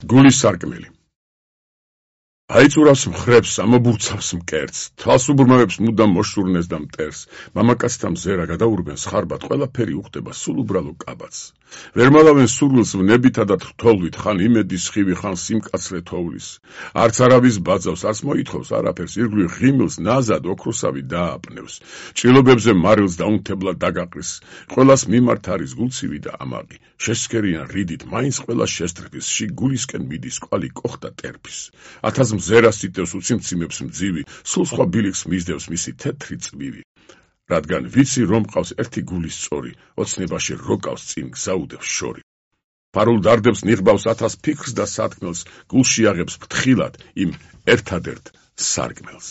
გულის სარკმელი. აიწურავს მხრებს, ამობურცავს მკერდს, თვალს უბრმავებს მუდამ მოშურნეს და მტერს, მამაკაცთა მზერა გადაურბენ სხარბად, ყველაფერი უხდება სულ უბრალო კაბაც. ვერ მალავენ სურვილს ვნებითა და თრთოლვით, ხან იმედის სხივი, ხან სიმკაცრე თოვლის. არც არავის ბაძავს, არც მოითხოვს არაფერს, ირგვლივ ღიმილს ნაზად ოქროსავი დააპნევს. ჭრილობებზე მარილს დაუნთებლად დაგაყრის, ყველას მიმართ არის გულცივი და ამაყი. შესქერიან რიდით, მაინც ყველას შესწრფის, გულისკენ მიდის კვალი კოხდა ტერფის. ათას მზერას იტევს უციმციმებს მძივი, სულ სხვა ბილიქს მისდევს მისი თეთრი წვივი. რადგან ვიცი რომ ყავს ერთი გულის სწორი, ოცნებაში როკავს წინ გზაუდებს შორი. ფარულ დარდებს ნიღბავს ათას ფიქრს და სათქმელს, გულში აღებს ფრთხილად იმ ერთადერთ სარკმელს.